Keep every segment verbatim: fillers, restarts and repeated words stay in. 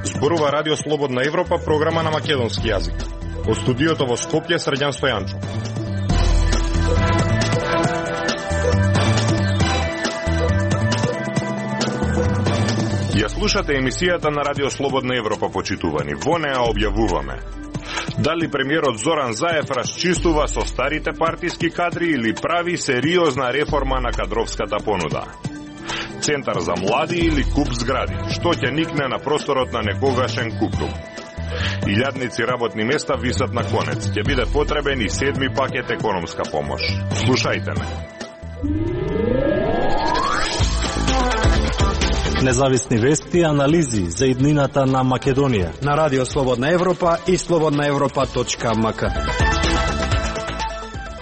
Зборува Радио Слободна Европа, програма на македонски јазик. Од студиото во Скопје, Срđan Стојанчо. Ја слушате емисијата на Радио Слободна Европа, почитувани. Во неа објавуваме: дали премиерот Зоран Заев расчистува со старите партиски кадри или прави сериозна реформа на кадровската понуда? Центар за млади или куп згради? Што ќе никне на просторот на некогашен куптум? Илјадници работни места висат на конец. Ќе биде потребен и седми пакет економска помош. Слушајте ме. Независни вести и анализи за иднината на Македонија на Радио Слободна Европа и слободна европа точка ем ка.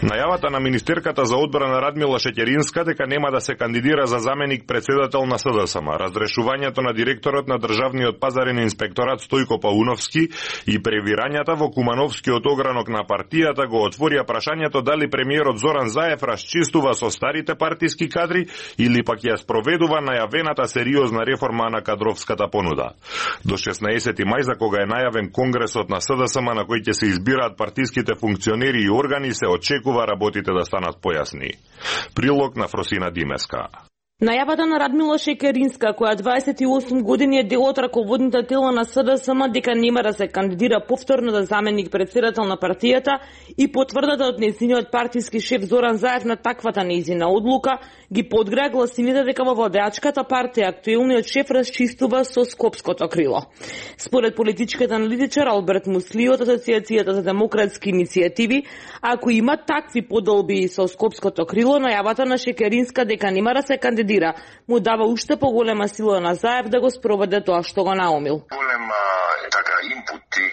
Најавата на министерката за одбрана Радмила Шеќеринска дека нема да се кандидира за заменик председател на СДСМ, разрешувањето на директорот на Државниот пазарен инспекторат Стојко Пауновски и превирањата во Кумановскиот огранок на партијата го отворија прашањето дали премиерот Зоран Заев расчистува со старите партиски кадри или пак ја спроведува најавената сериозна реформа на кадровската понуда. До шеснаесети мај, за кога е најавен конгресот на СДСМ на кој ќе се избираат партиските функционери и органи, се очекува работите да станат појасни. Прилог на Фросина Димеска. Најавата на Радмила Шеќеринска, која дваесет и осум години е дел од раководните тела на СДСМ дека нема да се кандидира повторно за заменик председател на партијата и потврдата од нејзиниот партиски шеф Зоран Заев на таквата нејзина одлука, ги подгреа гласините дека во владеачката партија актуелниот шеф расчистува со скопското крило. Според политичкиот аналитичар Алберт Мусли од Асоциацијата за демократски иницијативи, ако има такви подолби со скопското крило, најавата на Шеќеринска дека нема да се кандидира му дава уште поголема сила на Заев да го спроведе тоа што го наумил. Голема така инпут и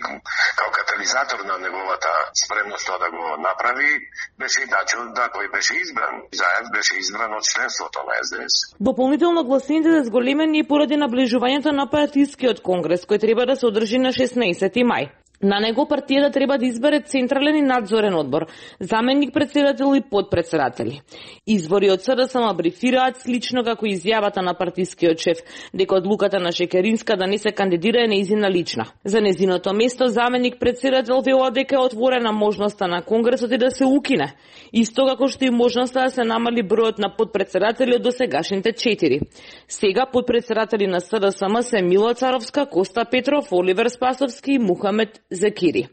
као катализатор на неговата спремност да го направи беше и начинот да кој беше избран. Заев беше избран од членството на СДС. Дополнително гласините се зголемени поради наближувањето на партискиот конгрес кој треба да се одржи на шеснаесети мај. На него партијата треба да избере централен и надзорен одбор, заменик председател и подпредседатели. Извори од СДСМ брифираат слично како изјавата на партискиот шеф дека одлуката на Шеќеринска да не се кандидира е нејзина лична. За нејзиното место заменик председател велат дека е отворена можноста на конгресот и да се укине, исто како што и можноста да се намали бројот на подпредседатели од досегашните четири. Сега подпредседатели на СДСМ се Мила Царовска, Коста Петров, Оливер Спасовски и Мухамед Закири.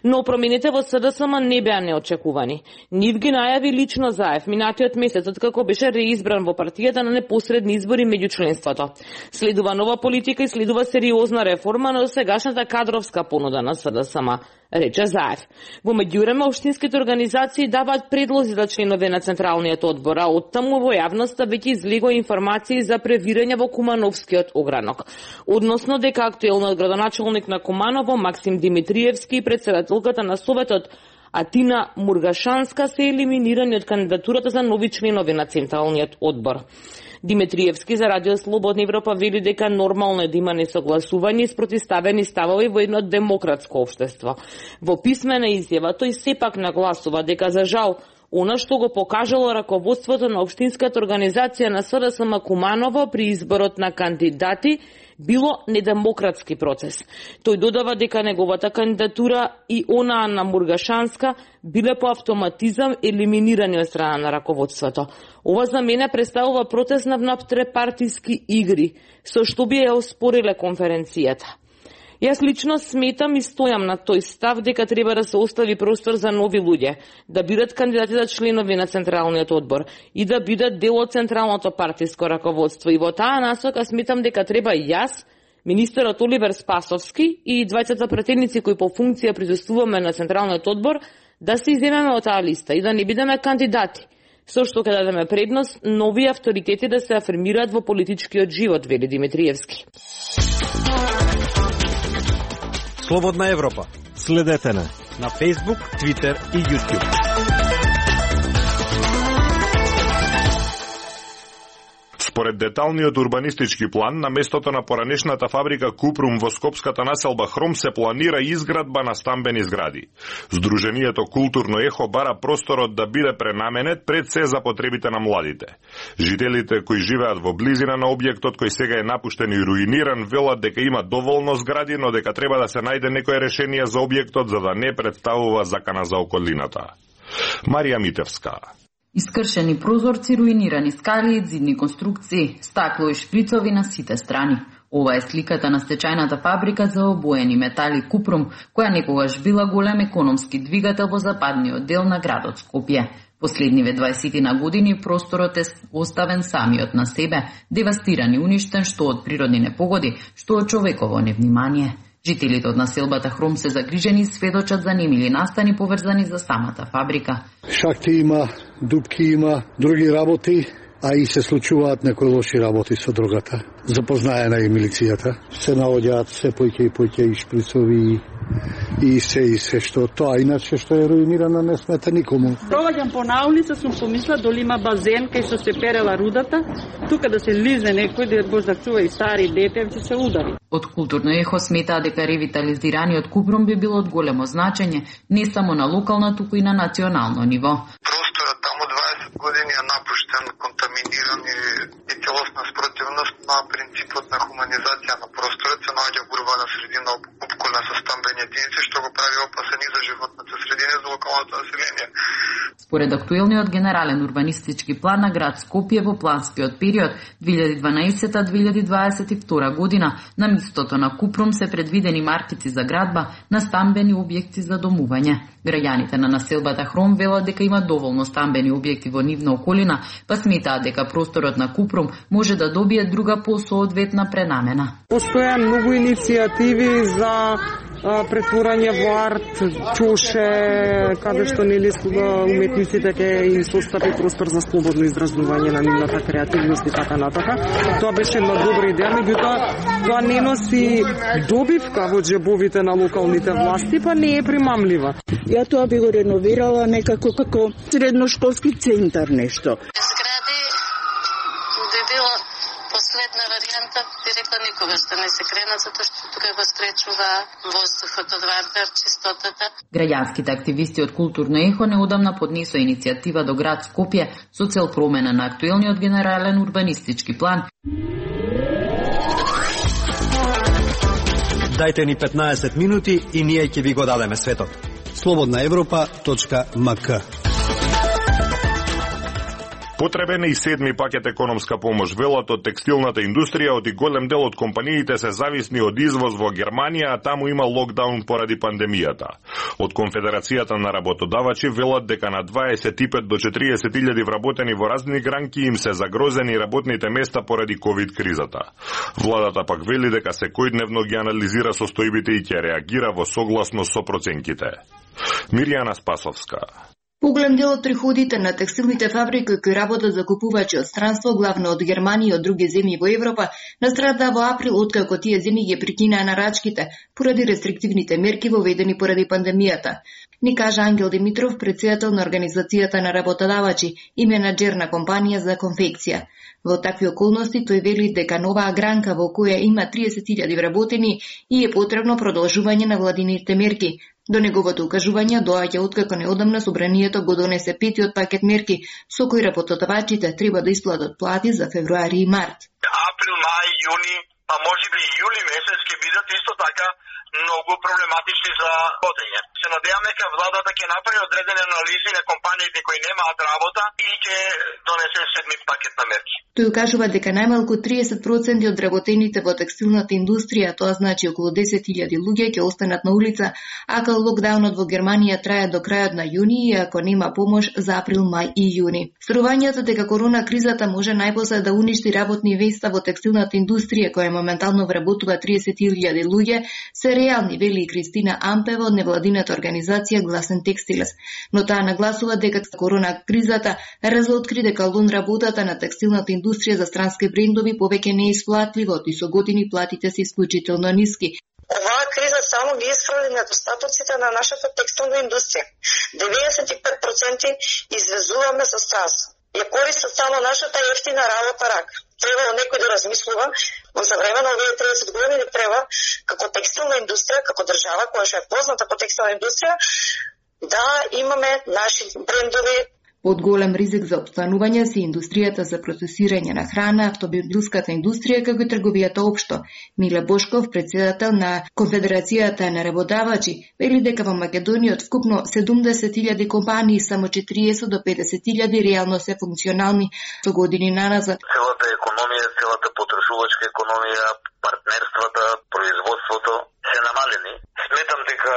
Но промените во СДСМ не беа неочекувани. Нив ги најави лично Заев минатиот месец, откако беше реизбран во партијата на непосредни избори меѓу членството. Следува нова политика и следува сериозна реформа на досегашната кадровска понуда на СДСМ, рече Заев. Во меѓувреме, општинските организации даваат предлози за членови на Централниот одбор, а оттаму во јавноста веќе излегоа информации за превирање во Кумановскиот огранок. Односно дека актуелниот градоначалник на Куманово, Максим Димитриевски, и председателката на Советот Атина Мургашанска се елиминирани од кандидатурата за нови членови на Централниот одбор. Димитриевски за Радио Слободна Европа вели дека нормално е да има несогласување и спротивставени ставови во едно демократско општество. Во писмена изјава тој сепак нагласува дека за жал она што го покажало раководството на општинската организација на СДСМ Куманово при изборот на кандидати било недемократски процес. Тој додава дека неговата кандидатура и онаа на Мургашанска биле по автоматизам елиминирани од страна на раководството. Ова за мене представува протест на внатре-партиски игри, со што би ја оспориле конференцијата. Јас лично сметам и стојам на тој став дека треба да се остави простор за нови луѓе, да бидат кандидати за членови на Централниот одбор и да бидат дел од централното партиско раководство. И во таа насока сметам дека треба јас, министерот Оливер Спасовски и двајцата пратеници кои по функција присуствуваме на Централниот одбор да се иземеме од таа листа и да не бидеме кандидати, со што ќе дадеме предност нови авторитети да се афирмираат во политичкиот живот, вели Димитриевски. Слободна Европа. Следете на на Facebook, Twitter и YouTube. Според деталниот урбанистички план, на местото на поранешната фабрика Купрум во скопската населба Хром се планира изградба на стамбени згради. Сдруженијето Културно ехо бара просторот да биде пренаменет пред се за потребите на младите. Жителите кои живеат во близина на објектот кој сега е напуштен и руиниран велат дека има доволно згради, но дека треба да се најде некое решение за објектот за да не представува закана за околината. Марија Митевска. Искршени прозорци, руинирани скали, зидни конструкции, стакло и шприцови на сите страни. Ова е сликата на стечајната фабрика за обоени метали Купрум, која некогаш била голем економски двигател во западниот дел на градот Скопје. Последниве дваесет години просторот е оставен самиот на себе, девастиран и уништен што од природни непогоди, што од човеково невнимание. Жителите од населбата Хром се загрижени и сведочат за немили настани поврзани за самата фабрика. Шахти има, дупки има, други работи, а и се случуваат некои лоши работи со дрогата. Запознаена и милицијата. Се наоѓаат се поќе и поќе и шприцови и се и се што тоа, иначе што е руинирана не смета никому. Проваѓам по наулица, сум помисла доли има базен кај што се перела рудата, тука да се лизне некој да го зачува и стари дете, ќе се удари. Од Културно ехо сметаа дека ревитализираниот Купрум би било од големо значење, не само на локално, туку и на национално ниво. Просторот таму дваесет години е напуштен, контаминиран и, и целосна спротивност на принципот на хуманизација на просторот се наоѓа во урбана средина опколна со стамбени единици, што го прави опасен и за животната средина и за локалното население. Според актуелниот генерален урбанистички план на град Скопје во планскиот период две илјади и дванаесета до две илјади дваесет и втора година, на местото на Купрум се предвидени маркици за градба на стамбени објекти за домување. Граѓаните на населбата Хром велат дека има доволно стамбени објекти во нивна околина, па сметаат дека просторот на Купрум може да добие друга посоодветна пренамена. Постоја многу иницијативи за претворање во арт, чоше, каде што нели уметниците ќе им состави простор за слободно изразување на нивната креативност и така натака. Тоа беше една добра идеја, меѓутоа тоа не носи добивка во џебовите на локалните власти, па не е примамлива. Ја тоа би го реновирала некако како средношколски центар нешто. Згради би било последна варијанта, би рекла никогаш да не се кренат, затоа што тука го спречува воздухот од ватар, чистотата. Граѓанските активисти од Културно ехо неодамна поднесоа иницијатива до град Скопје со цел промена на актуелниот генерален урбанистички план. Дајте ни петнаесет минути и ние ќе ви го дадеме светот. слободна европа точка ем ка. Потребен е и седми пакет економска помош. Велат од текстилната индустрија, од и голем дел од компаниите се зависни од извоз во Германија, а таму има локдаун поради пандемијата. Од Конфедерацијата на работодавачи велат дека на дваесет и пет до четириесет илјади вработени во разни гранки им се загрозени работните места поради ковид кризата. Владата пак вели дека секојдневно ги анализира состојбите и ќе реагира во согласно со проценките. Мирјана Спасовска. Поголем дел од приходите на текстилните фабрики кои работат за купувачи од странство, главно од Германија и од други земји во Европа, настрада во април откако тие земји ги прекинаа нарачките поради рестриктивните мерки воведени поради пандемијата. Ни кажа Ангел Димитров, претседател на Организацијата на работодавачи и менаџер на компанија за конфекција. Во такви околности тој вели дека новаа гранка во која има триесет илјади вработени и е потребно продолжување на владините мерки. До неговото укажување доаѓа откако неодамна собранието го донесе петиот пакет мерки со кои работодавачите треба да исплатат плати за февруари и март. Април, мај, јуни, а можеби и јули месец ќе бидат исто така многу проблематични за водење. Се надевам дека владата ќе направи одредени анализи на компаниите кои немаат работа и ќе донесе седми пакет на мерки. Тој укажува дека најмалку триесет проценти од вработените во текстилната индустрија, тоа значи околу десет илјади луѓе, ќе останат на улица, ако локдаунот во Германија трае до крајот на јуни и ако нема помош за април, мај и јуни. Струвањето дека корона кризата може најпосле да уништи работни места во текстилната индустрија, која моментално вработува триесет илјади луѓе, се реални, вели Кристина Ампева од невладината организација Гласен Текстилес. Но таа нагласува дека корона кризата разоткри дека лун работата на текстилната индустрија за странски брендови повеќе не е исплатливо и со години платите се исклучително ниски. Оваа криза само ги исправи недостатоците на нашата текстилна индустрија. деветдесет и пет проценти извезуваме со странство. Ја користат само нашата ефтина работа рака. треба некој да размислува, но за време на овие триесет години треба како текстилна индустрија, како држава која што е позната по текстилна индустрија, да имаме наши брендови. Под голем ризик за опстанување се индустријата за процесирање на храна, автомобилската индустрија, како и трговијата општо. Миле Бошков, председател на Конфедерацијата на работавачи, вели дека во Македонија од вкупно седумдесет илјади компании само четириесет до педесет илјади реално се функционални со години наназад. Целата економија, целата потрошувачка економија, партнерствата, производството се намалени. Сметам дека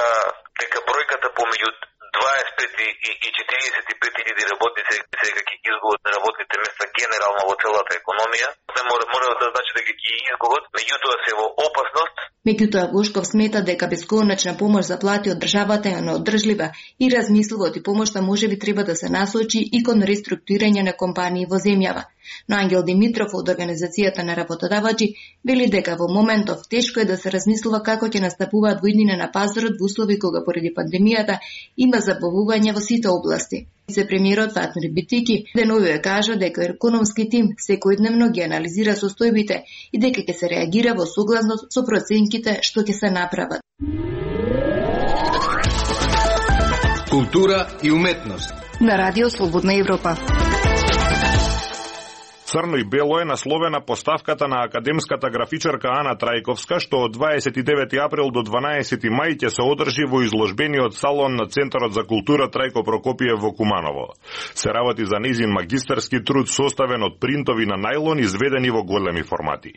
дека бројката помеѓу дваесет и пет и четириесет и пет илјади работници сега ќе изгубат работните места генерално во целата економија. Не мора, мора да значи дека ќе изгубат, меѓутоа се во опасност. Меѓутоа Бошков смета дека бесконечна помош за плати од државата е неодржлива и размислува оти помошта можеби треба да се насочи и кон реструктурирање на компании во земјава. Но Ангел Димитров од Организацијата на работодавачи вели дека во моментов тешко е да се размислува како ќе настапуваат воиднина на пазарот во услови кога поради пандемијата има забавување во сите области. Се премиерот Фатмир Битики деновиве кажа дека економски тим секојдневно ги анализира состојбите и дека ќе се реагира во согласност со проценките што ќе се направат. Култура и уметност На Радио Слободна Европа. Црно и бело е насловена поставката на академската графичарка Ана Трајковска, што од дваесет и девети април до дванаесети мај ќе се одржи во изложбениот салон на Центарот за култура Трајко Прокопиев во Куманово. Се работи за низин магистарски труд составен од принтови на најлон изведени во големи формати.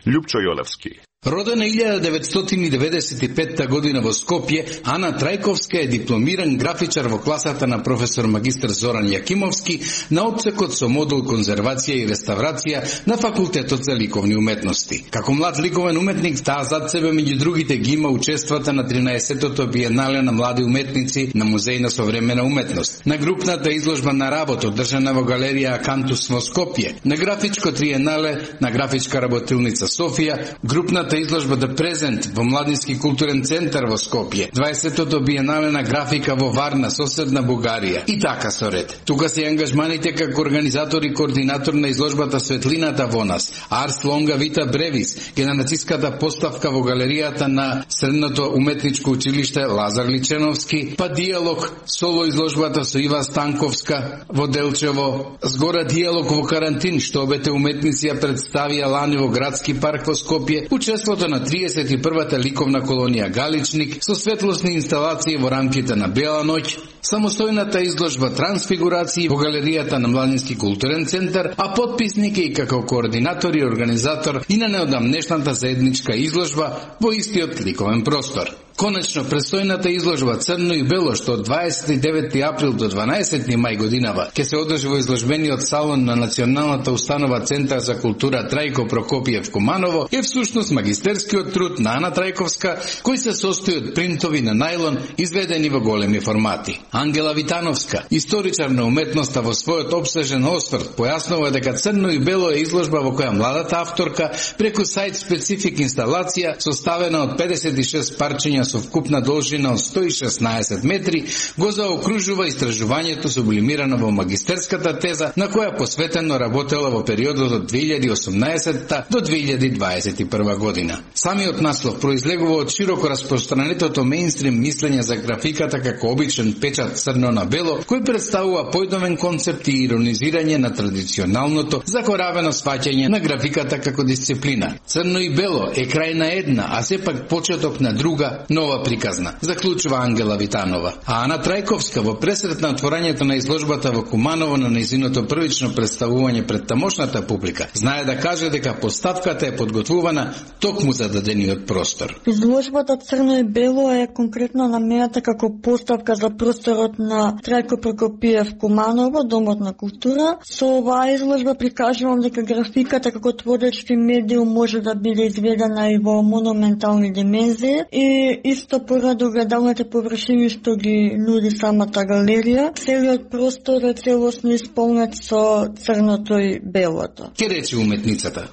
Љупчо Јолевски. Родена илјада деветстотини и деветдесет и петта година во Скопје, Ана Трајковска е дипломиран графичар во класата на професор магистар Зоран Јакимовски на отсекот со модул конзервација и реставрација на Факултетот за ликовни уметности. Како млад ликовен уметник, таа зад себе меѓу другите ги има учествата на тринаесеттото биенале на млади уметници на Музеј на современа уметност, на групната изложба на работ одржана во галерија Акантус во Скопје, на графичко триенале на графичка работилница Софија, групната изложба The Present во Младински културен центар во Скопје, дваесеттото биенале на графика во Варна, соседна Бугарија и така со ред. Тука се ангажманите како организатор и координатор на изложбата Светлината во нас, Арс Лонга Вита Бревис, генерациската поставка во галеријата на Средното уметничко училиште Лазар Личеновски, па диалог соло изложбата со Ива Станковска во Делчево, згора диалог во карантин што обете уметници ја представија лани во Градски парк во Скопје, учеството на триесет и првата ликовна колонија Галичник со светлосни инсталации во рамките на Бела ноќ, самостојната изложба Трансфигурации во галеријата на Младински културен центар, а подписник е и како координатор и организатор и на неодамнешната заедничка изложба во истиот ликовен простор. Конечно, престојната изложба Црно и бело, што од дваесет и девети април до дванаесети мај годинава ќе се одржи во изложбениот салон на Националната установа Центар за култура Трајко Прокопиев Куманово, е всушност магистерскиот труд на Ана Трајковска, кој се состои од принтови на најлон изведени во големи формати. Ангела Витановска, историчар на уметноста, во својот обсежен осврт појаснува дека Црно и бело е изложба во која младата авторка преку сајт специфик инсталација составена од педесет и шест парчиња со вкупна должина од сто и шеснаесет метри, го заокружува истражувањето сублимирано во магистерската теза на која посветено работела во периодот од две илјади и осумнаесетта до две илјади дваесет и прва година. Самиот наслов произлегува од широко распространетото мејнстрим мислење за графиката како обичен печат црно на бело, кој представува појдовен концепт и иронизирање на традиционалното закоравено сваќање на графиката како дисциплина. Црно и бело е крај на една, а сепак почеток на друга, нова приказна, заклучува Ангела Витанова. А Ана Трајковска во пресрет на отворањето на изложбата во Куманово на нејзиното првично представување пред тамошната публика, знае да каже дека поставката е подготвувана токму за дадениот простор. Изложбата Црно и бело е конкретно намената како поставка за просторот на Трајко Прокопиев Куманово, Домот на култура. Со оваа изложба прикажувам дека графиката како творечки медиум може да биде изведена и во монументални димензии и исто поради огледалните површини што ги нуди самата галерија. Целиот простор е целосно исполнет со црното и белото. Ке рече уметницата.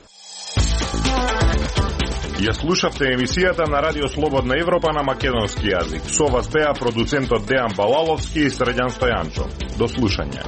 Ја слушавте емисијата на Радио Слободна Европа на македонски јазик. Со вас беа продуцентот Дејан Балаловски и Средјан Стојанчо. До слушање.